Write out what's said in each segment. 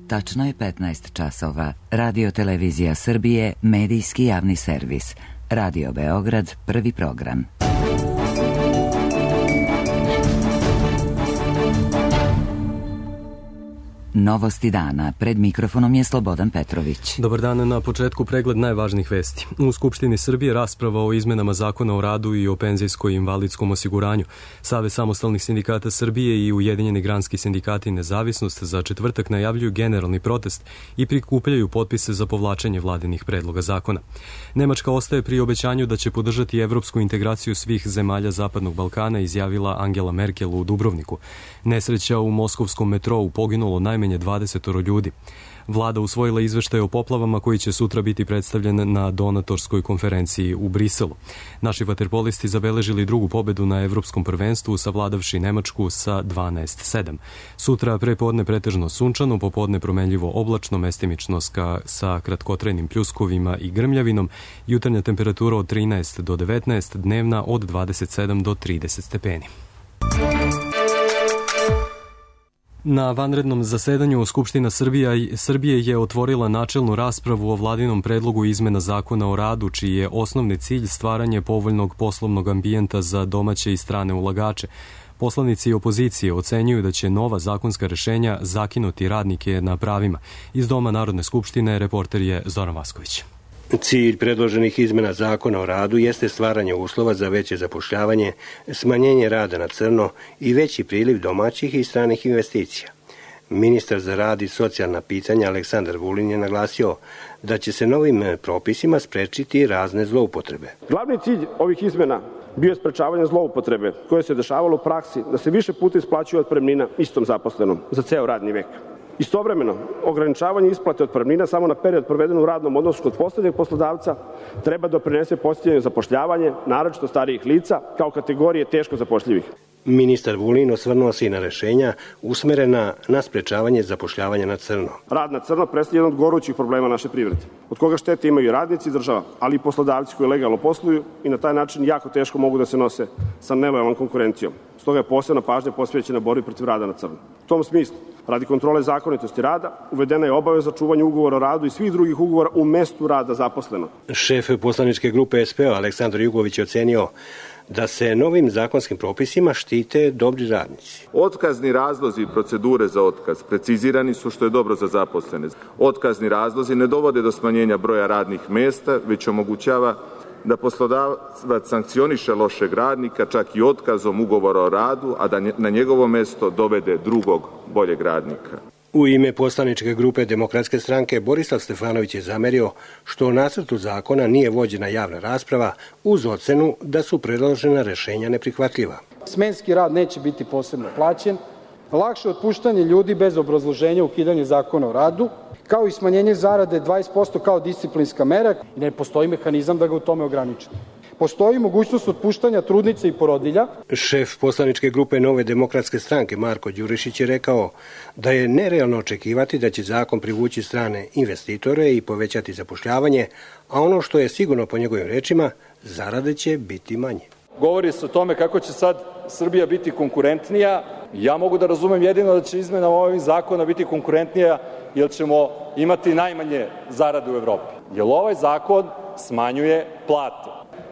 Tačno je 15 časova. Radio Televizija Srbije, medijski javni servis. Radio Beograd, prvi program. Novosti dana. Pred mikrofonom je Slobodan Petrović. Dobar dan, na početku pregled najvažnijih vesti. U Skupštini Srbije rasprava o izmenama Zakona o radu i o penzijskoj i invalidskom osiguranju. Savez samostalnih sindikata Srbije i Ujedinjeni granski sindikati Nezavisnost za četvrtak najavljuju generalni protest i prikupljaju potpise za povlačenje vladinih predloga zakona. Nemačka ostaje pri obećanju da će podržati evropsku integraciju svih zemalja Zapadnog Balkana, izjavila Angela Merkel u Dubrovniku. Nesreća u moskovskom metrou, poginulo najmanje 20 ljudi. Vlada usvojila izveštaj o poplavama koji će sutra biti predstavljen na donatorskoj konferenciji u Briselu. Naši vaterpolisti zabeležili drugu pobedu na evropskom prvenstvu, savladavši Nemačku sa 12-7. Sutra prepodne pretežno sunčano, popodne promenljivo oblačno, mestimično sa kratkotrajnim pljuskovima i grmljavinom, jutarnja temperatura od 13 do 19, dnevna od 27 do 30 stepeni. Na vanrednom zasedanju Skupština Srbije je otvorila načelnu raspravu o vladinom predlogu izmena Zakona o radu, čiji je osnovni cilj stvaranje povoljnog poslovnog ambijenta za domaće i strane ulagače. Poslanici opozicije ocenjuju da će nova zakonska rešenja zakinuti radnike na pravima. Iz Doma Narodne skupštine reporter je Zoran Vasković. Cilj predloženih izmena Zakona o radu jeste stvaranje uslova za veće zapošljavanje, smanjenje rada na crno i veći priliv domaćih i stranih investicija. Ministar za rad i socijalna pitanja Aleksandar Vulin je naglasio da će se novim propisima sprečiti razne zloupotrebe. Glavni cilj ovih izmena bio je sprečavanje zloupotrebe koje se dešavalo u praksi da se više puta isplaćuje otpremnina istom zaposlenom za ceo radni vek. Istovremeno, ograničavanje isplate otpremnina samo na period proveden u radnom odnosu kod poslednjeg poslodavca treba doprinese podsticanje zapošljavanje, naročito starijih lica, kao kategorije teško zapošljivih. Ministar Vulin osvrnuo se i na rešenja usmerena na sprečavanje zapošljavanja na crno. Rad na crno predstavlja jedan od gorućih problema naše privrede, od koga štete imaju i radnici i država, ali i poslodavci koji legalno posluju i na taj način jako teško mogu da se nose sa nelojalnom konkurencijom. Stoga je posebna pažnja posvećena borbi protiv rada na crno. U tom smislu, radi kontrole zakonitosti rada, uvedena je obaveza čuvanja ugovora o radu i svih drugih ugovora u mestu rada zaposlenog. Šef poslaničke grupe SPO Aleksandar Jugović je ocenio da se novim zakonskim propisima štite dobri radnici. Otkazni razlozi i procedure za otkaz precizirani su, što je dobro za zaposlene. Otkazni razlozi ne dovode do smanjenja broja radnih mesta, već omogućava da poslodavac sankcioniše lošeg radnika čak i otkazom ugovora o radu, a da na njegovo mesto dovede drugog, boljeg radnika. U ime poslaničke grupe Demokratske stranke Borislav Stefanović je zamerio što u nacrtu zakona nije vođena javna rasprava uz ocenu da su predložena rešenja neprihvatljiva. Smenski rad neće biti posebno plaćen, lakše otpuštanje ljudi bez obrazloženja, ukidanje Zakona o radu, kao i smanjenje zarade 20% kao disciplinska mera. Ne postoji mehanizam da ga u tome ograničite. Postoji mogućnost otpuštanja trudnica i porodilja. Šef poslaničke grupe Nove demokratske stranke Marko Đurišić je rekao da je nerealno očekivati da će zakon privući strane investitore i povećati zapošljavanje, a ono što je sigurno po njegovim rečima, zarade će biti manje. Govori se o tome kako će sad Srbija biti konkurentnija. Ja mogu da razumem jedino da će izmena ovih zakona biti konkurentnija jer ćemo imati najmanje zarade u Evropi. Jer ovaj zakon smanjuje plate.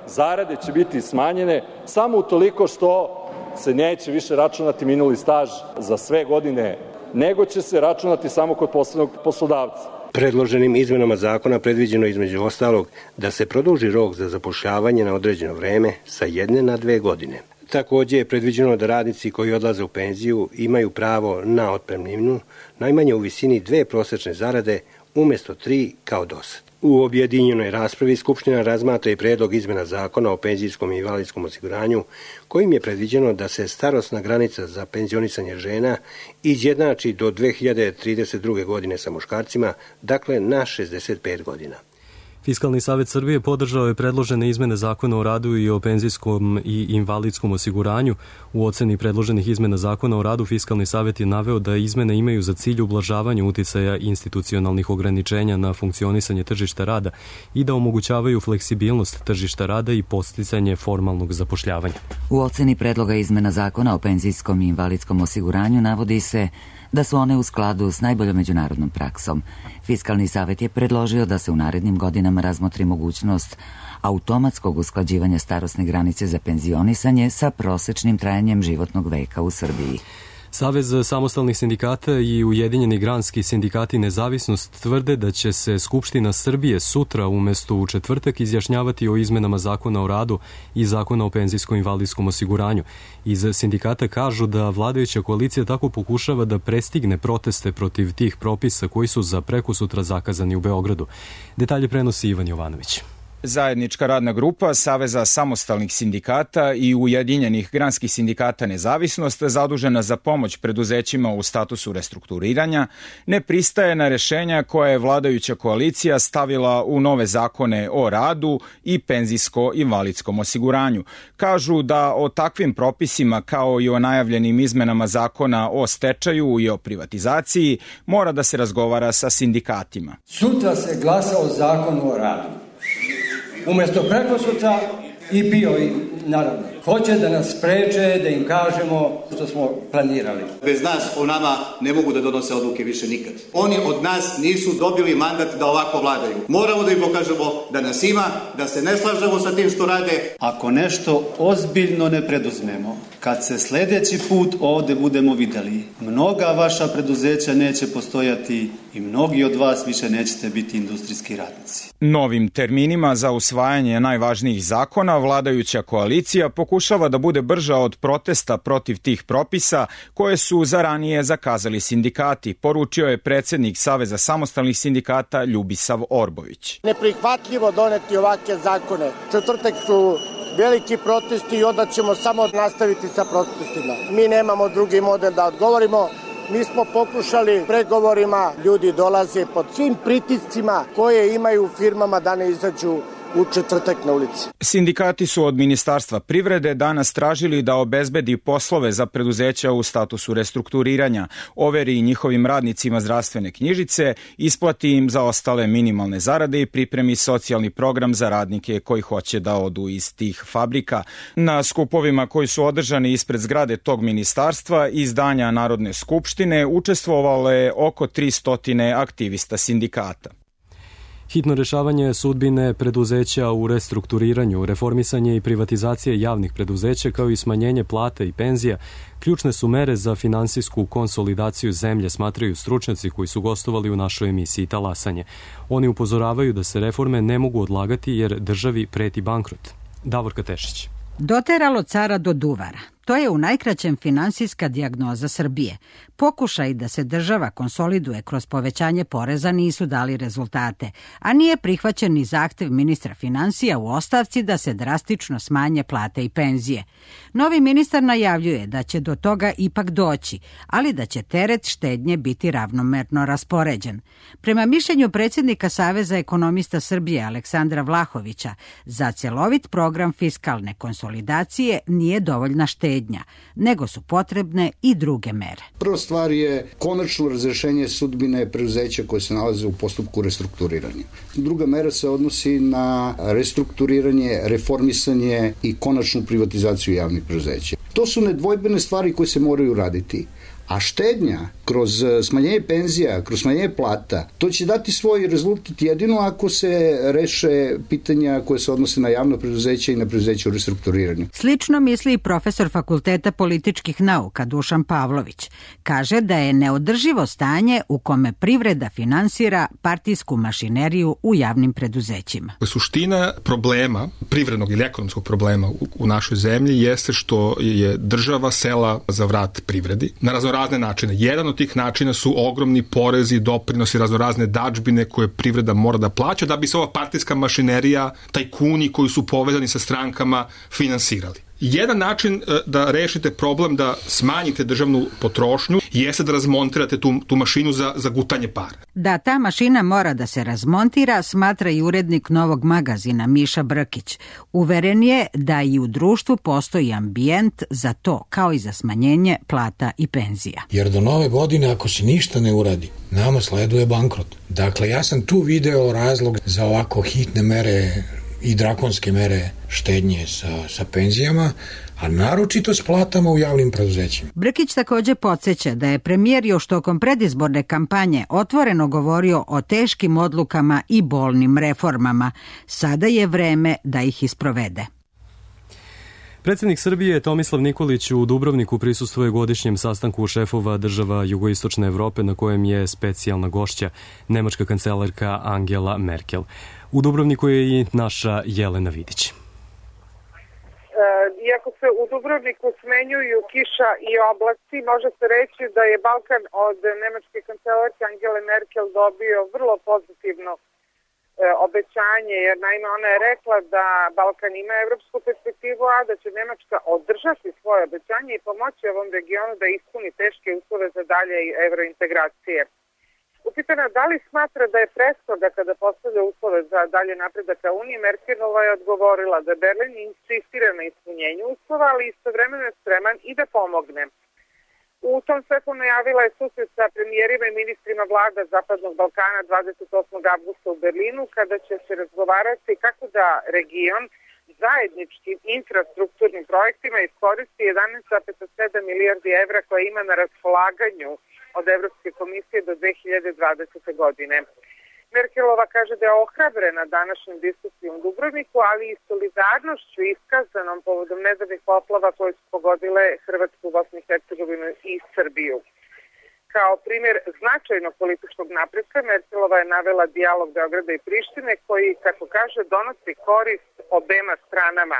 Zarade će biti smanjene samo utoliko što se neće više računati minuli staž za sve godine, nego će se računati samo kod poslednog poslodavca. Predloženim izmenama zakona predviđeno između ostalog da se produži rok za zapošljavanje na određeno vreme sa 1 na 2 godine. Takođe je predviđeno da radnici koji odlaze u penziju imaju pravo na otpremninu najmanje u visini 2 prosečne zarade umesto 3 kao dosad. U objedinjenoj raspravi Skupština razmatra i predlog izmena Zakona o penzijskom i invalidskom osiguranju, kojim je predviđeno da se starosna granica za penzionisanje žena izjednači do 2032. godine sa muškarcima, dakle na 65 godina. Fiskalni savet Srbije podržao je predložene izmene zakona o radu i o penzijskom i invalidskom osiguranju. U oceni predloženih izmena zakona o radu Fiskalni savet je naveo da izmene imaju za cilj ublažavanje uticaja institucionalnih ograničenja na funkcionisanje tržišta rada i da omogućavaju fleksibilnost tržišta rada i podsticanje formalnog zapošljavanja. U oceni predloga izmena zakona o penzijskom i invalidskom osiguranju navodi se da su one u skladu s najboljom međunarodnom praksom. Fiskalni savet je predložio da se u narednim godinama razmotri mogućnost automatskog usklađivanja starosne granice za penzionisanje sa prosečnim trajanjem životnog veka u Srbiji. Savez samostalnih sindikata i Ujedinjeni granski sindikati Nezavisnost tvrde da će se Skupština Srbije sutra umesto u četvrtak izjašnjavati o izmenama zakona o radu i zakona o penzijsko-invalidskom osiguranju. Iz sindikata kažu da vladajuća koalicija tako pokušava da prestigne proteste protiv tih propisa koji su za prekosutra zakazani u Beogradu. Detalje prenosi Ivan Jovanović. Zajednička radna grupa Saveza samostalnih sindikata i Ujedinjenih granskih sindikata Nezavisnost, zadužena za pomoć preduzećima u statusu restrukturiranja, ne pristaje na rešenja koje je vladajuća koalicija stavila u nove zakone o radu i penzijsko-invalidskom osiguranju. Kažu da o takvim propisima, kao i o najavljenim izmenama zakona o stečaju i o privatizaciji, mora da se razgovara sa sindikatima. Sutra se glasa o zakonu o radu. Umesto prekosutra i bio i naravno. Hoće da nas spreče, da im kažemo što smo planirali. Bez nas o nama ne mogu da donose odluke više nikad. Oni od nas nisu dobili mandat da ovako vladaju. Moramo da im pokažemo da nas ima, da se ne slažemo sa tim što rade. Ako nešto ozbiljno ne preduzmemo, kad se sledeći put ovde budemo videli, mnoga vaša preduzeća neće postojati i mnogi od vas više nećete biti industrijski radnici. Novim terminima za usvajanje najvažnijih zakona vladajuća koalicija pokušava da bude brža od protesta protiv tih propisa koje su za ranije zakazali sindikati, poručio je predsednik Saveza samostalnih sindikata Ljubisav Orbović. Neprihvatljivo doneti ovakve zakone. Četvrtak su veliki protesti i onda ćemo samo nastaviti sa protestima. Mi nemamo drugi model da odgovorimo. Mi smo pokušali pregovorima, ljudi dolaze pod svim pritiscima koje imaju u firmama da ne izađu u četvrtak na ulici. Sindikati su od Ministarstva privrede danas tražili da obezbedi poslove za preduzeća u statusu restrukturiranja, overi njihovim radnicima zdravstvene knjižice, isplati im za ostale minimalne zarade i pripremi socijalni program za radnike koji hoće da odu iz tih fabrika. Na skupovima koji su održani ispred zgrade tog ministarstva i zdanja Narodne skupštine učestvovalo je oko 300 aktivista sindikata. Hitno rešavanje sudbine preduzeća u restrukturiranju, reformisanje i privatizacije javnih preduzeća kao i smanjenje plata i penzija ključne su mere za finansijsku konsolidaciju zemlje, smatraju stručnjaci koji su gostovali u našoj emisiji Talasanje. Oni upozoravaju da se reforme ne mogu odlagati jer državi preti bankrot. Davorka Tešić. Doteralo cara do duvara. To je u najkraćem finansijska dijagnoza Srbije. Pokušaj da se država konsoliduje kroz povećanje poreza nisu dali rezultate, a nije prihvaćen ni zahtev ministra finansija u ostavci da se drastično smanje plate i penzije. Novi ministar najavljuje da će do toga ipak doći, ali da će teret štednje biti ravnomerno raspoređen. Prema mišljenju predsjednika Saveza ekonomista Srbije Aleksandra Vlahovića, za celovit program fiskalne konsolidacije nije dovoljna štednja, nego su potrebne i druge mere. Prva stvar je konačno razrešenje sudbine preduzeća koje se nalaze u postupku restrukturiranja. Druga mera se odnosi na restrukturiranje, reformisanje i konačnu privatizaciju javnih preduzeća. To su nedvojbene stvari koje se moraju raditi. A štednja kroz smanjenje penzija, kroz smanjenje plata, to će dati svoj rezultat jedino ako se reše pitanja koje se odnose na javno preduzeće i na preduzeće u restrukturiranju. Slično misli i profesor Fakulteta političkih nauka Dušan Pavlović. Kaže da je neodrživo stanje u kome privreda finansira partijsku mašineriju u javnim preduzećima. Suština problema, privrednog ili ekonomskog problema u našoj zemlji jeste što je država sela za vrat privredi na raznorazne načine. Jedan od tih načina su ogromni porezi, doprinosi, raznorazne dadžbine koje privreda mora da plaća da bi se ova partijska mašinerija, tajkuni koji su povezani sa strankama finansirali. Jedan način da rešite problem da smanjite državnu potrošnju jeste da razmontirate tu mašinu za gutanje para. Da ta mašina mora da se razmontira, smatra i urednik Novog magazina Miša Brkić. Uveren je da i u društvu postoji ambijent za to, kao i za smanjenje plata i penzija. Jer do nove godine, ako se ništa ne uradi, nama sleduje bankrot. Dakle, ja sam tu video razlog za ovako hitne mere i drakonske mere štednje sa penzijama, a naročito s platama u javnim preduzećima. Brkić takođe podsjeća da je premijer još tokom predizborne kampanje otvoreno govorio o teškim odlukama i bolnim reformama. Sada je vreme da ih isprovede. Predsjednik Srbije Tomislav Nikolić u Dubrovniku prisustvuje godišnjem sastanku šefova država jugoistočne Evrope na kojem je specijalna gošća nemačka kancelarka Angela Merkel. U Dubrovniku je i naša Jelena Vidić. Iako se u Dubrovniku smenjuju kiša i oblaci, može se reći da je Balkan od nemačke kancelarke Angele Merkel dobio vrlo pozitivno obećanje, jer naime ona je rekla da Balkan ima evropsku perspektivu, a da će Nemačka održati svoje obećanje i pomoći ovom regionu da ispuni teške uslove za dalje evrointegracije. Upitana da li smatra da je prestroga kada postavlja uslove za dalje napredak ka Uniji, Merkelova je odgovorila da Berlin insistira na ispunjenju uslova, ali istovremeno je spreman i da pomogne. U tom svetlu najavila je susret sa premijerima i ministrima vlada Zapadnog Balkana 28. avgusta u Berlinu, kada će se razgovarati kako da region zajedničkim infrastrukturnim projektima iskoristi 11,7 milijardi evra koje ima na raspolaganju od Evropske komisije do 2020. godine. Merkelova kaže da je ohrabrena današnjom diskusijom u Dubrovniku, ali i solidarnošću iskazanom povodom nedavnih poplava koje su pogodile Hrvatsku, Bosnu i Hercegovinu i Srbiju. Kao primjer značajnog političkog napretka, Merkelova je navela dijalog Beograda i Prištine koji, kako kaže, donosi korist obema stranama.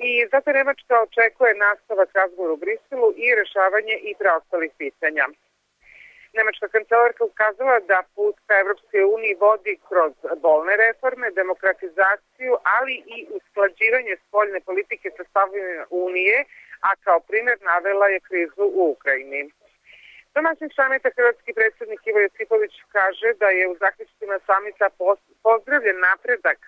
I zato Nemačka očekuje nastavak razgovora u Briselu i rešavanje i preostalih pitanja. Nemačka kancelarka ukazala da put ka Evropskoj uniji vodi kroz bolne reforme, demokratizaciju, ali i usklađivanje spoljne politike sa stavovima Unije, a kao primjer navela je krizu u Ukrajini. Domaćin samita hrvatski predsjednik Ivo Josipović kaže da je u zaključcima samita pozdravljen napredak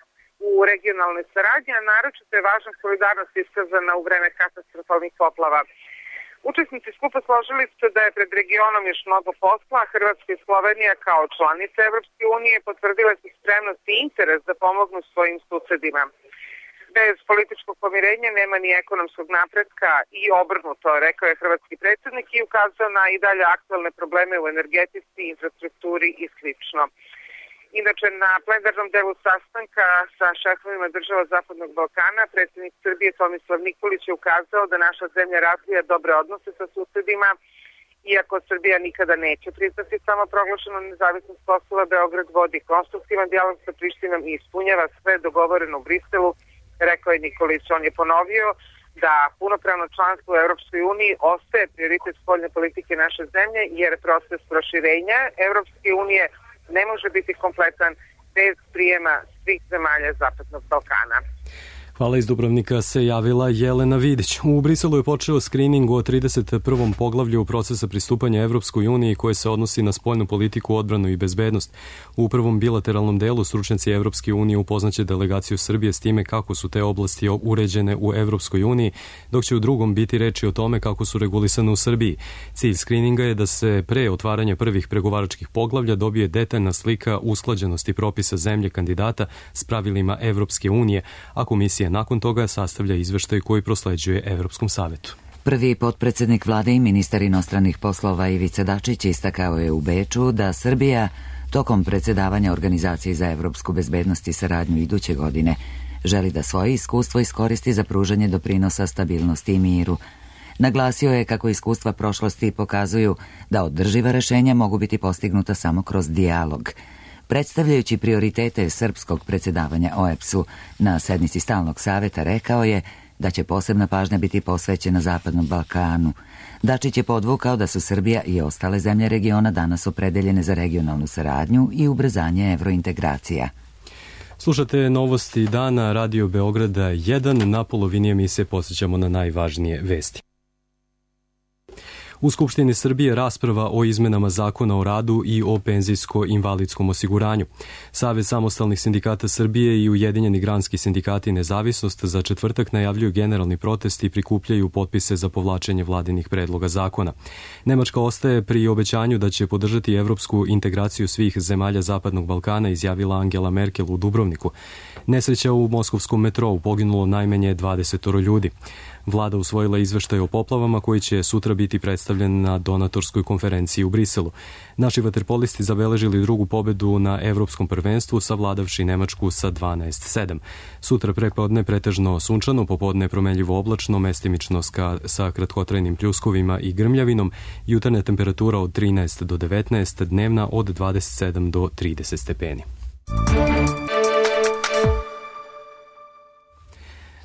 u regionalnoj saradnji, a naročito je važna solidarnost iskazana u vreme katastrofalnih poplava. Učesnici skupa složili su da je pred regionom još mnogo posla, a Hrvatska i Slovenija kao članice Evropske unije potvrdile su spremnost i interes da pomognu svojim susedima. Bez političkog pomirenja nema ni ekonomskog napretka i obrnuto, rekao je hrvatski predsjednik i ukazao na i dalje aktualne probleme u energetici, infrastrukturi i slično. Inače, na plenarnom delu sastanka sa šefovima država Zapadnog Balkana, predsjednik Srbije Tomislav Nikolić je ukazao da naša zemlja razvija dobre odnose sa susedima, iako Srbija nikada neće priznati samoproglašenu nezavisnost Kosova, Beograd vodi konstruktivan dijalog sa Prištinom i ispunjava sve dogovoreno u Briselu, rekao je Nikolić. On je ponovio da punopravno članstvo u Evropskoj uniji ostaje prioritet spoljne politike naše zemlje, jer proces proširenja Evropske unije ne može biti kompletan bez prijema svih zemalja Zapadnog Balkana. Hvala, iz Dubrovnika se javila Jelena Vidić. U Briselu je počeo skrining o 31. poglavlju procesa pristupanja Evropskoj uniji koje se odnosi na spoljnu politiku, odbranu i bezbednost. U prvom bilateralnom delu stručnjaci Evropske unije upoznaće delegaciju Srbije s time kako su te oblasti uređene u Evropskoj uniji, dok će u drugom biti reči o tome kako su regulisane u Srbiji. Cilj skrininga je da se pre otvaranja prvih pregovaračkih poglavlja dobije detaljna slika usklađenosti propisa zemlje kandidata s pravilima Evropske unije, a komisija nakon toga sastavlja izveštaj koji prosleđuje Evropskom savetu. Prvi potpredsednik vlade i ministar inostranih poslova Ivica Dačić istakao je u Beču da Srbija tokom predsjedavanja Organizaciji za evropsku bezbednost i saradnju iduće godine želi da svoje iskustvo iskoristi za pružanje doprinosa stabilnosti i miru. Naglasio je kako iskustva prošlosti pokazuju da održiva rešenja mogu biti postignuta samo kroz dijalog. Predstavljajući prioritete srpskog predsjedavanja OEBS-u na sednici stalnog saveta, rekao je da će posebna pažnja biti posvećena Zapadnom Balkanu. Dačić je podvukao da su Srbija i ostale zemlje regiona danas opredeljene za regionalnu saradnju i ubrzanje evrointegracija. Slušate novosti dana Radio Beograda 1. Na polovini emisije posjećamo na najvažnije vesti. U Skupštini Srbije rasprava o izmenama Zakona o radu i o penzijsko-invalidskom osiguranju. Savez samostalnih sindikata Srbije i Ujedinjeni granski sindikati Nezavisnost za četvrtak najavljuju generalni protest i prikupljaju potpise za povlačenje vladinih predloga zakona. Nemačka ostaje pri obećanju da će podržati evropsku integraciju svih zemalja Zapadnog Balkana, izjavila Angela Merkel u Dubrovniku. Nesreća u moskovskom metrou, poginulo najmanje 20 ljudi. Vlada usvojila izveštaj o poplavama koji će sutra biti predstavljen na donatorskoj konferenciji u Briselu. Naši vaterpolisti zabeležili drugu pobedu na evropskom prvenstvu, savladavši Nemačku sa 12-7. Sutra prepodne pretežno sunčano, popodne promenljivo oblačno, mestimično sa kratkotrajnim pljuskovima i grmljavinom, jutarnja temperatura od 13 do 19, dnevna od 27 do 30 stepeni.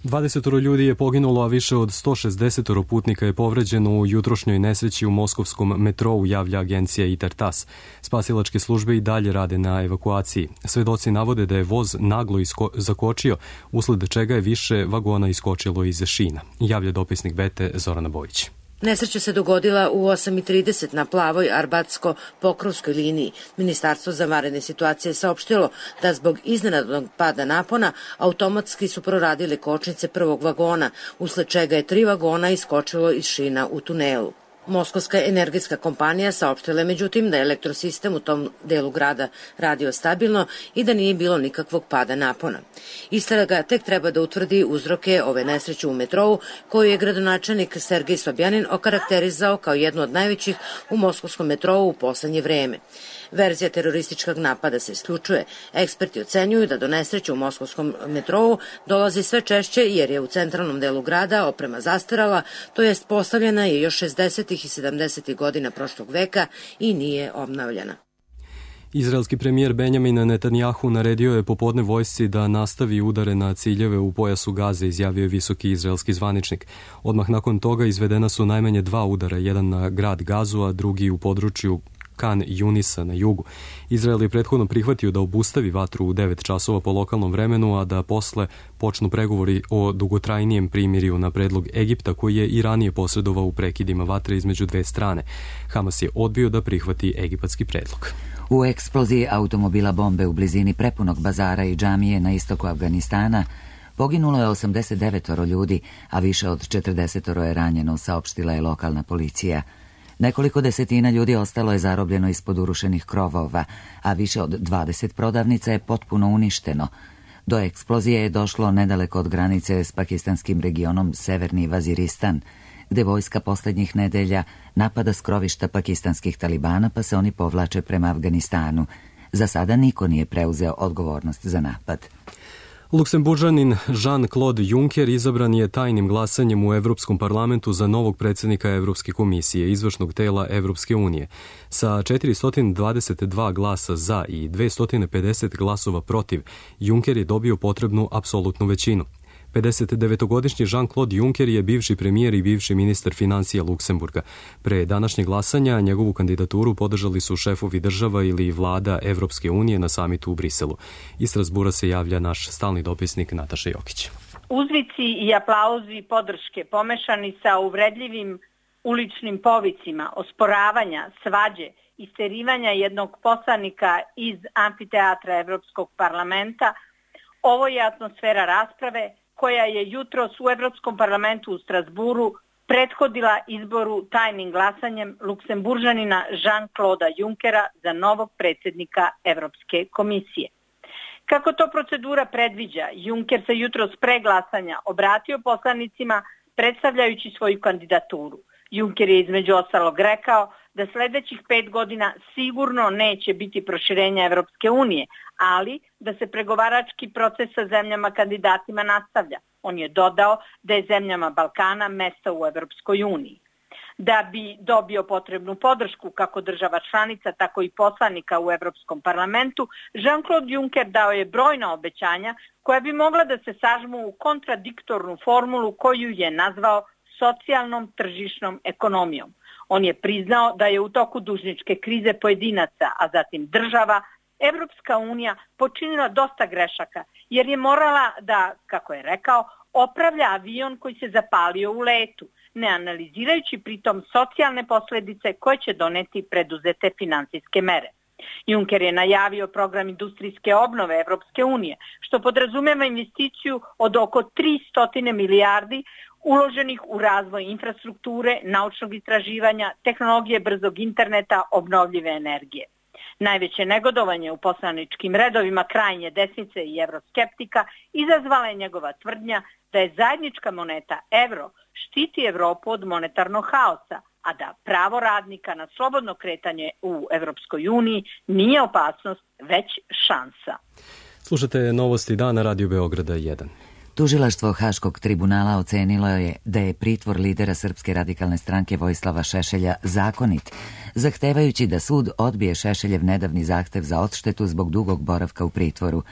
20 ljudi je poginulo, a više od 160 putnika je povređeno u jutrošnjoj nesreći u moskovskom metrou, javlja agencija ITAR-TASS. Spasilačke službe i dalje rade na evakuaciji. Svedoci navode da je voz naglo zakočio, usled čega je više vagona iskočilo iz šina, javlja dopisnik Bete Zorana Bojić. Nesreća se dogodila u 8:30 na plavoj Arbatsko-Pokrovskoj liniji. Ministarstvo za vanredne situacije je saopštilo da zbog iznenadnog pada napona automatski su proradile kočnice prvog vagona, usled čega je 3 vagona iskočilo iz šina u tunelu. Moskovska energetska kompanija saopštila je međutim da je elektrosistem u tom delu grada radio stabilno i da nije bilo nikakvog pada napona. Istraga tek treba da utvrdi uzroke ove nesreće u metrou, koju je gradonačelnik Sergej Sobjanin okarakterizao kao jednu od najvećih u moskovskom metrou u poslednje vreme. Verzija terorističkog napada se isključuje. Eksperti ocenjuju da do nesreće u moskovskom metrou dolazi sve češće jer je u centralnom delu grada oprema zastarala, to jest postavljena je još 60. i 70. godina prošlog veka i nije obnavljana. Izraelski premijer Benjamin Netanjahu naredio je popodne vojsci da nastavi udare na ciljeve u pojasu Gaze, izjavio je visoki izraelski zvaničnik. Odmah nakon toga izvedena su najmanje 2 udara, jedan na grad Gazu, a drugi u području Kan Junisa na jugu. Izrael je prethodno prihvatio da obustavi vatru u 9 časova po lokalnom vremenu, a da posle počnu pregovori o dugotrajnijem primirju na predlog Egipta, koji je i ranije posredovao u prekidima vatre između dve strane. Hamas je odbio da prihvati egipatski predlog. U eksploziji automobila bombe u blizini prepunog bazara i džamije na istoku Afganistana poginulo je 89 ljudi, a više od 40 je ranjeno, saopštila je lokalna policija. Nekoliko desetina ljudi ostalo je zarobljeno ispod urušenih krovova, a više od 20 prodavnica je potpuno uništeno. Do eksplozije je došlo nedaleko od granice s pakistanskim regionom Severni Vaziristan, gde vojska poslednjih nedelja napada skrovišta pakistanskih talibana, pa se oni povlače prema Afganistanu. Za sada niko nije preuzeo odgovornost za napad. Luksemburžanin Jean-Claude Juncker izabran je tajnim glasanjem u Evropskom parlamentu za novog predsjednika Evropske komisije, izvršnog tela Evropske unije. Sa 422 glasa za i 250 glasova protiv, Juncker je dobio potrebnu apsolutnu većinu. 59-godišnji Jean-Claude Juncker je bivši premijer i bivši ministar financija Luksemburga. Pre današnjeg glasanja njegovu kandidaturu podržali su šefovi država ili vlada Evropske unije na samitu u Briselu. Iz Strasbura se javlja naš stalni dopisnik Nataša Jokić. Uzvici i aplauzi podrške pomešani sa uvredljivim uličnim povicima, osporavanja, svađe, isterivanja jednog poslanika iz amfiteatra Evropskog parlamenta, ovo je atmosfera rasprave koja je jutros u Evropskom parlamentu u Strasburu prethodila izboru tajnim glasanjem Luksemburžanina Jean-Claude Junckera za novog predsjednika Evropske komisije. Kako to procedura predviđa, Juncker se jutros pre glasanja obratio poslanicima predstavljajući svoju kandidaturu. Juncker je između ostalog rekao da sledećih 5 godina sigurno neće biti proširenja Evropske unije, ali da se pregovarački proces sa zemljama kandidatima nastavlja. On je dodao da je zemljama Balkana mesta u Evropskoj uniji. Da bi dobio potrebnu podršku kako država članica, tako i poslanika u Evropskom parlamentu, Jean-Claude Juncker dao je brojna obećanja koja bi mogla da se sažmu u kontradiktornu formulu koju je nazvao socijalnom tržišnom ekonomijom. On je priznao da je u toku dužničke krize pojedinaca, a zatim država, Evropska unija počinila dosta grešaka, jer je morala da, kako je rekao, opravlja avion koji se zapalio u letu, ne analizirajući pritom socijalne posledice koje će doneti preduzete finansijske mere. Juncker je najavio program industrijske obnove Evropske unije, što podrazumeva investiciju od oko 300 milijardi uloženih u razvoj infrastrukture, naučnog istraživanja, tehnologije brzog interneta, obnovljive energije. Najveće negodovanje u poslaničkim redovima krajnje desnice i evroskeptika izazvala je njegova tvrdnja da je zajednička moneta evro štiti Evropu od monetarnog haosa, a da pravo radnika na slobodno kretanje u Evropskoj uniji nije opasnost, već šansa. Slušate novosti dana Radio Beograda 1. Tužilaštvo Haškog tribunala ocenilo je da je pritvor lidera Srpske radikalne stranke Vojislava Šešelja zakonit, zahtevajući da sud odbije Šešeljev nedavni zahtev za odštetu zbog dugog boravka u pritvoru.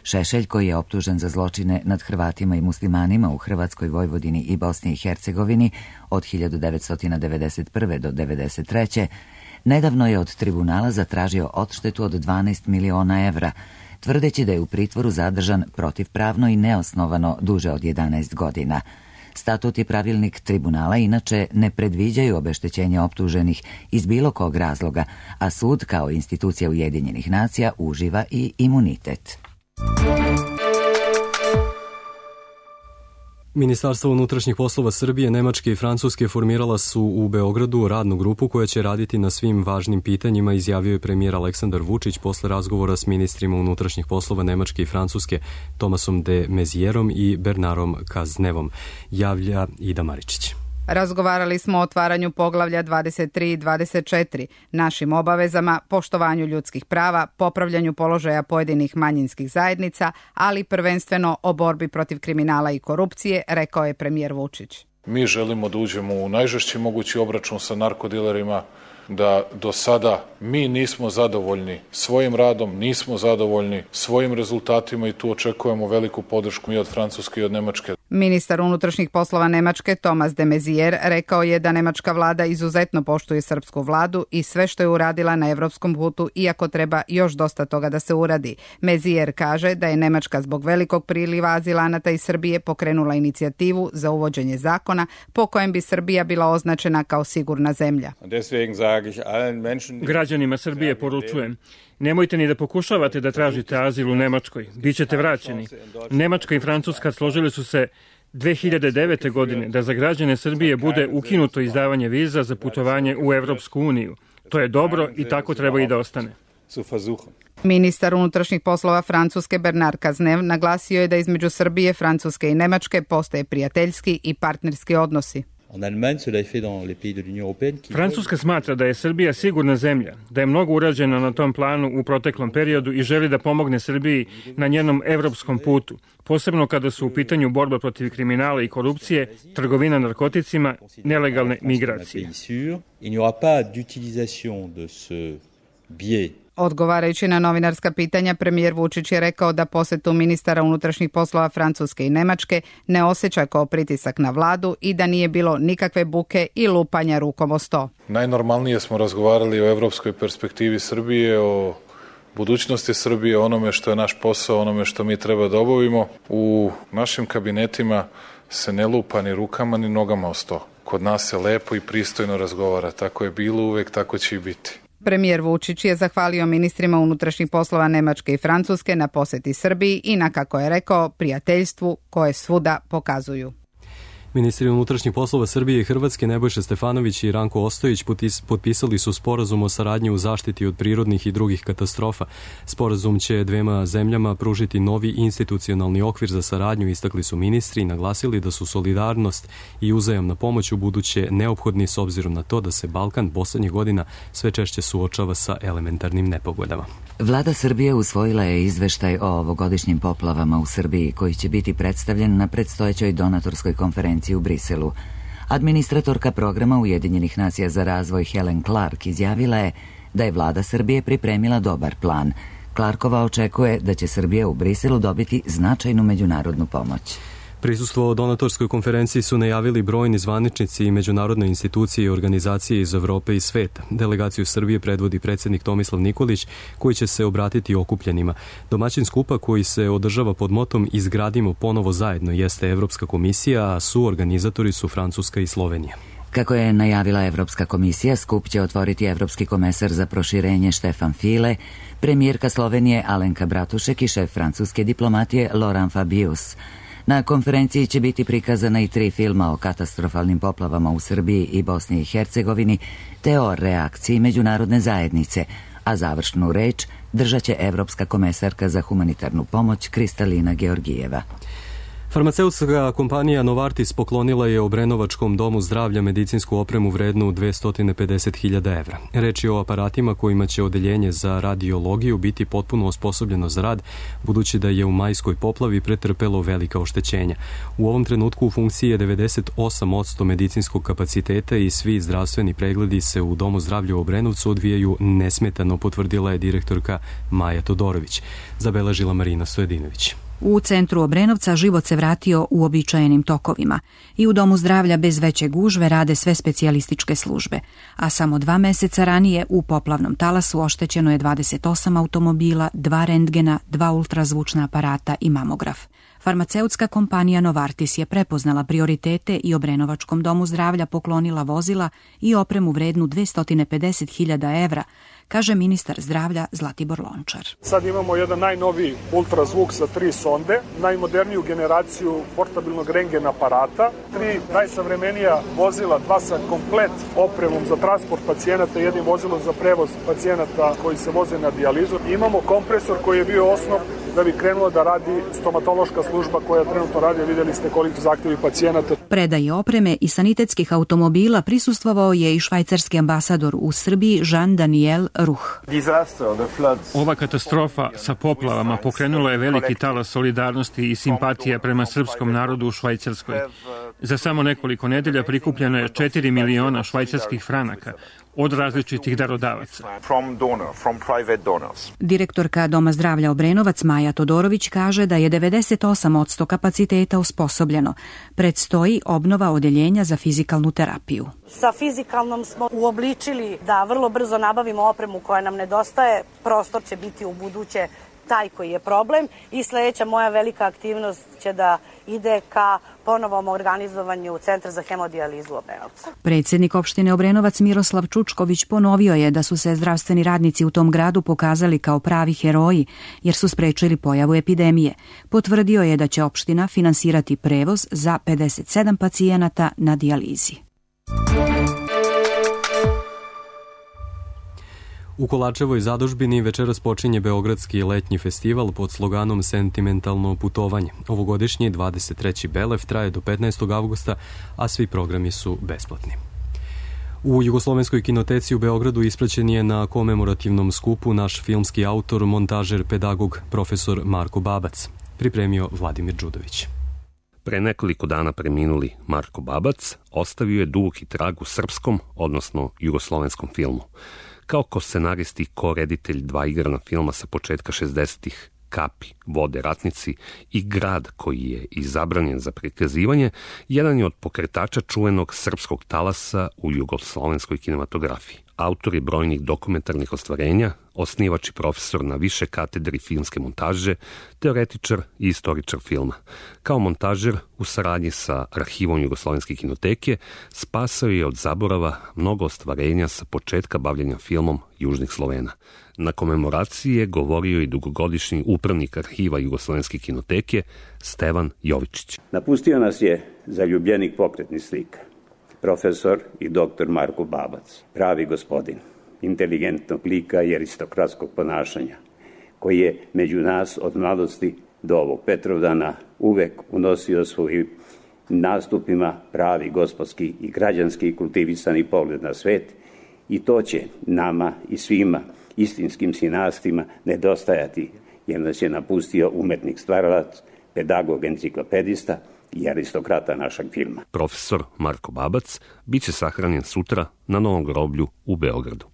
Šešelj, koji je optužen za zločine nad Hrvatima i muslimanima u Hrvatskoj, Vojvodini i Bosni i Hercegovini od 1991. do 1993. nedavno je od tribunala zatražio odštetu od 12 miliona evra, tvrdeći da je u pritvoru zadržan protivpravno i neosnovano duže od 11 godina. Statut i pravilnik tribunala inače ne predviđaju obeštećenje optuženih iz bilo kog razloga, a sud kao institucija Ujedinjenih nacija uživa i imunitet. Ministarstvo unutrašnjih poslova Srbije, Nemačke i Francuske formirala su u Beogradu radnu grupu koja će raditi na svim važnim pitanjima, izjavio je premijer Aleksandar Vučić posle razgovora s ministrima unutrašnjih poslova Nemačke i Francuske Tomasom de Mezierom i Bernarom Kaznevom, javlja Ida Maričić. Razgovarali smo o otvaranju poglavlja 23 i 24, našim obavezama, poštovanju ljudskih prava, popravljanju položaja pojedinih manjinskih zajednica, ali prvenstveno o borbi protiv kriminala i korupcije, rekao je premijer Vučić. Mi želimo da uđemo u najžešći mogući obračun sa narkodilerima, da do sada mi nismo zadovoljni svojim radom, nismo zadovoljni svojim rezultatima i tu očekujemo veliku podršku i od Francuske i od Nemačke. Ministar unutrašnjih poslova Nemačke Tomas de Maizière rekao je da nemačka vlada izuzetno poštuje srpsku vladu i sve što je uradila na evropskom putu, iako treba još dosta toga da se uradi. Maizière kaže da je Nemačka zbog velikog priliva azilanata iz Srbije pokrenula inicijativu za uvođenje zakona po kojem bi Srbija bila označena kao sigurna zemlja. Građanima Srbije poručujem, nemojte ni da pokušavate da tražite azil u Nemačkoj, bit ćete vraćeni. Nemačka i Francuska složili su se 2009. godine da za građane Srbije bude ukinuto izdavanje viza za putovanje u Evropsku uniju. To je dobro i tako treba i da ostane. Ministar unutrašnjih poslova Francuske Bernard Cazeneuve naglasio je da između Srbije, Francuske i Nemačke postoje prijateljski i partnerski odnosi. Francuska smatra da je Srbija sigurna zemlja, da je mnogo urađeno na tom planu u proteklom periodu i želi da pomogne Srbiji na njenom evropskom putu, posebno kada su u pitanju borba protiv kriminala i korupcije, trgovina narkoticima, nelegalne migracije. Odgovarajući na novinarska pitanja, premijer Vučić je rekao da posetu ministara unutrašnjih poslova Francuske i Nemačke ne osjeća kao pritisak na vladu i da nije bilo nikakve buke i lupanja rukom o sto. Najnormalnije smo razgovarali o evropskoj perspektivi Srbije, o budućnosti Srbije, onome što je naš posao, onome što mi treba da obavimo. U našim kabinetima se ne lupa ni rukama ni nogama o sto. Kod nas se lepo i pristojno razgovara. Tako je bilo uvek, tako će i biti. Premijer Vučić je zahvalio ministrima unutrašnjih poslova Nemačke i Francuske na poseti Srbiji i na, kako je rekao, prijateljstvu koje svuda pokazuju. Ministri unutrašnjih poslova Srbije i Hrvatske Nebojša Stefanović i Ranko Ostojić potpisali su sporazum o saradnji u zaštiti od prirodnih i drugih katastrofa. Sporazum će dvema zemljama pružiti novi institucionalni okvir za saradnju, istakli su ministri i naglasili da su solidarnost i uzajamna pomoć u buduće neophodni s obzirom na to da se Balkan poslednjih godina sve češće suočava sa elementarnim nepogodama. Vlada Srbije usvojila je izveštaj o ovogodišnjim poplavama u Srbiji koji će biti predstavljen na predstojećoj donatorskoj konferenciji u Briselu. Administratorka programa Ujedinjenih nacija za razvoj Helen Clark izjavila je da je vlada Srbije pripremila dobar plan. Clarkova očekuje da će Srbija u Briselu dobiti značajnu međunarodnu pomoć. Prisustvo donatorskoj konferenciji su najavili brojni zvaničnici i međunarodne institucije i organizacije iz Evrope i sveta. Delegaciju Srbije predvodi predsjednik Tomislav Nikolić, koji će se obratiti okupljenima. Domaćin skupa koji se održava pod motom Izgradimo ponovo zajedno jeste Evropska komisija, a suorganizatori su Francuska i Slovenija. Kako je najavila Evropska komisija, skup će otvoriti evropski komesar za proširenje Štefan File, premijerka Slovenije Alenka Bratušek i šef francuske diplomatije Laurent Fabius. Na konferenciji će biti prikazana i 3 filma o katastrofalnim poplavama u Srbiji i Bosni i Hercegovini, te o reakciji međunarodne zajednice, a završnu reč držat će Evropska komesarka za humanitarnu pomoć Kristalina Georgijeva. Farmaceutska kompanija Novartis poklonila je Obrenovačkom domu zdravlja medicinsku opremu vrednu 250.000 evra. Reč je o aparatima kojima će odeljenje za radiologiju biti potpuno osposobljeno za rad, budući da je u majskoj poplavi pretrpelo velika oštećenja. U ovom trenutku u funkciji je 98% medicinskog kapaciteta i svi zdravstveni pregledi se u Domu zdravlja u Obrenovcu odvijaju nesmetano, potvrdila je direktorka Maja Todorović. Zabeležila Marina Stojedinović. U centru Obrenovca život se vratio u običajenim tokovima i u Domu zdravlja bez veće gužve rade sve specijalističke službe, a samo 2 meseca ranije u poplavnom talasu oštećeno je 28 automobila, 2 rentgena, 2 ultrazvučna aparata i mamograf. Farmaceutska kompanija Novartis je prepoznala prioritete i Obrenovačkom domu zdravlja poklonila vozila i opremu vrednu 250.000 evra, kaže ministar zdravlja Zlatibor Lončar. Sad imamo jedan najnoviji ultrazvuk sa 3 sonde, najmoderniju generaciju portabilnog rentgen aparata, 3 najsavremenija vozila, 2 sa komplet opremom za transport pacijenata i jednim vozilom za prevoz pacijenata koji se voze na dijalizu. Imamo kompresor koji je bio osnov da bi krenula da radi stomatološka služba koja trenutno radi, vidjeli ste koliko zahtjevi pacijenata. Predaji opreme i sanitetskih automobila prisustvovao je i švajcarski ambasador u Srbiji Jean-Daniel Ruh. Ova katastrofa sa poplavama pokrenula je veliki talas solidarnosti i simpatija prema srpskom narodu u Švajcarskoj. Za samo nekoliko nedelja prikupljeno je 4 miliona švajcarskih franaka od različitih darodavaca. Direktorka Doma zdravlja Obrenovac Maja Todorović kaže da je 98% kapaciteta osposobljeno. Predstoji obnova odeljenja za fizikalnu terapiju. Sa fizikalnom smo uobličili da vrlo brzo nabavimo opremu koja nam nedostaje. Prostor će biti u buduće taj koji je problem i sledeća moja velika aktivnost će da ide ka ponovom organizovanju Centra za hemodijalizu Obrenovca. Predsjednik opštine Obrenovac Miroslav Čučković ponovio je da su se zdravstveni radnici u tom gradu pokazali kao pravi heroji jer su sprečili pojavu epidemije. Potvrdio je da će opština finansirati prevoz za 57 pacijenata na dijalizi. U Kolačevoj zadužbini večeras počinje Beogradski letnji festival pod sloganom Sentimentalno putovanje. Ovogodišnji 23. Belev traje do 15. avgusta, a svi programi su besplatni. U Jugoslovenskoj kinoteci u Beogradu ispraćen je na komemorativnom skupu naš filmski autor, montažer, pedagog, profesor Marko Babac. Pripremio Vladimir Đudović. Pre nekoliko dana preminuli Marko Babac ostavio je duboki trag u srpskom, odnosno jugoslovenskom filmu. Kao ko-scenarist i ko-reditelj 2 igrana filma sa početka 60-ih, Kapi, Vode, Ratnici i Grad koji je izabranjen za prikazivanje, jedan je od pokretača čuvenog srpskog talasa u jugoslovenskoj kinematografiji. Autor je brojnih dokumentarnih ostvarenja, osnivač i profesor na više katedri filmske montaže, teoretičar i istoričar filma. Kao montažer u saradnji sa arhivom Jugoslovenske kinoteke spasao je od zaborava mnogo ostvarenja sa početka bavljenja filmom Južnih Slovena. Na komemoraciji je govorio i dugogodišnji upravnik arhiva Jugoslovenske kinoteke Stevan Jovičić. Napustio nas je zaljubljenik pokretnih slika, profesor i doktor Marko Babac, pravi gospodin, inteligentnog lika i aristokratskog ponašanja, koji je među nas od mladosti do ovog Petrovdana uvek unosio svojim nastupima pravi gospodski i građanski kultivisani pogled na svet i to će nama i svima istinskim sinastima nedostajati, jer nas je napustio umetnik stvaralac, pedagog enciklopedista i aristokrata našeg filma. Profesor Marko Babac biće sahranjen sutra na Novom groblju u Beogradu.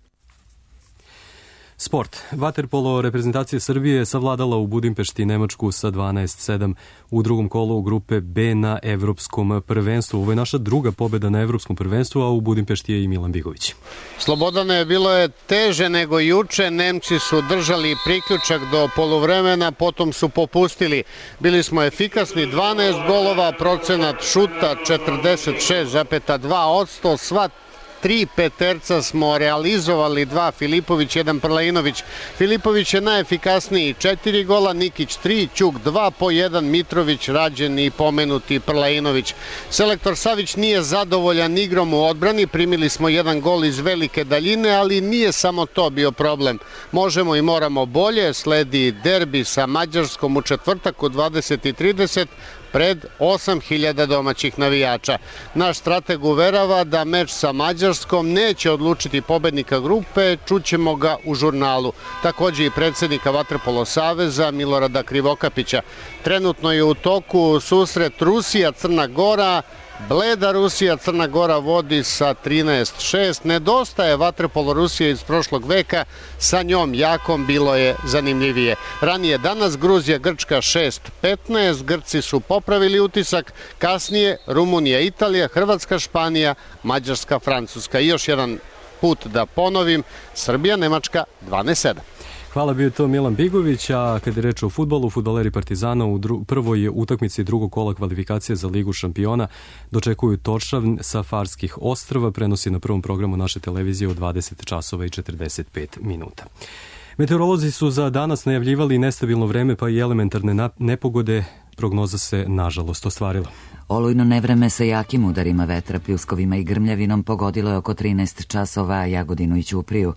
Sport. Vaterpolo reprezentacija Srbije je savladala u Budimpešti Nemačku sa 12-7 u drugom kolu grupe B na Evropskom prvenstvu. Ovo je naša druga pobjeda na Evropskom prvenstvu, a u Budimpešti je i Milan Bigović. Slobodane, bilo je teže nego juče. Nemci su držali priključak do poluvremena, potom su popustili. Bili smo efikasni, 12 golova, procenat šuta 46,2%, sva 3 peterca smo realizovali, 2 Filipović, 1 Prlainović. Filipović je najefikasniji, 4 gola, Nikić 3, Ćuk 2, po 1 Mitrović, Rađen i pomenuti Prlainović. Selektor Savić nije zadovoljan igrom u odbrani, primili smo 1 gol iz velike daljine, ali nije samo to bio problem. Možemo i moramo bolje, sledi derbi sa Mađarskom u četvrtak u 20:30, pred 8.000 domaćih navijača. Naš strateg uverava da meč sa Mađarskom neće odlučiti pobednika grupe, čućemo ga u žurnalu. Takođe i predsjednika Vaterpolo saveza Milorada Krivokapića. Trenutno je u toku susret Rusija-Crna Gora. Bleda Rusija, Crna Gora vodi sa 13-6. Nedostaje vaterpolo Rusije iz prošlog veka, sa njom jakom bilo je zanimljivije. Ranije danas Gruzija, Grčka 6-15, Grci su popravili utisak, kasnije Rumunija, Italija, Hrvatska, Španija, Mađarska, Francuska. I još jedan put da ponovim, Srbija, Nemačka 12-7. Hvala, bio to Milan Bigović, a kada je reč o fudbalu, fudbaleri Partizana u prvoj utakmici drugog kola kvalifikacije za Ligu šampiona dočekuju Toršavn sa Farskih ostrva, prenosi na prvom programu naše televizije u 20 časova i 45 minuta. Meteorolozi su za danas najavljivali nestabilno vreme, pa i elementarne nepogode, prognoza se nažalost ostvarila. Olujno nevreme sa jakim udarima vetra, pljuskovima i grmljavinom pogodilo je oko 13 časova Jagodinu i Ćupriju.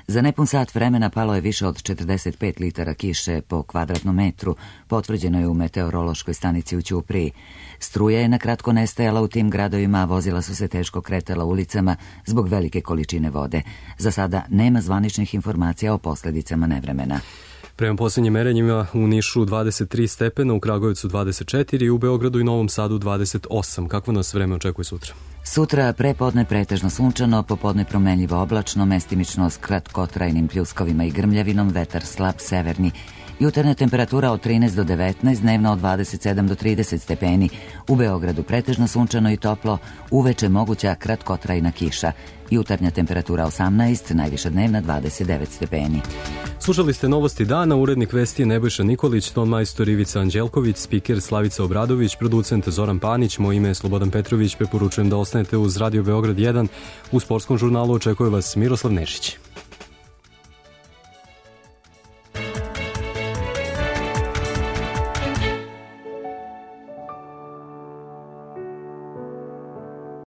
Za nepun sat vremena palo je više od 45 litara kiše po kvadratnom metru, potvrđeno je u meteorološkoj stanici u Ćupriji. Struja je na kratko nestajala u tim gradovima, a vozila su se teško kretala ulicama zbog velike količine vode. Za sada nema zvaničnih informacija o posljedicama nevremena. Prema posljednjim merenjima u Nišu 23 stepena, u Kragujevcu 24, u Beogradu i Novom Sadu 28. Kakvo nas vreme očekuje sutra? Sutra prepodne pretežno sunčano, popodne promenljivo oblačno, mestimično s kratkotrajnim pljuskovima i grmljavinom, vetar slab severni. Jutarnja temperatura od 13 do 19, dnevno od 27 do 30 stepeni. U Beogradu pretežno sunčano i toplo, uveče moguća kratkotrajna kiša. Jutarnja temperatura 18, najviša dnevna 29 stepeni. Slušali ste Novosti dana, urednik vesti je Nebojša Nikolić, ton majstor Ivica Anđelković, spiker Slavica Obradović, producent Zoran Panić, moje ime je Slobodan Petrović, preporučujem da ostanete uz Radio Beograd 1. U sportskom žurnalu očekuje vas Miroslav Nešić.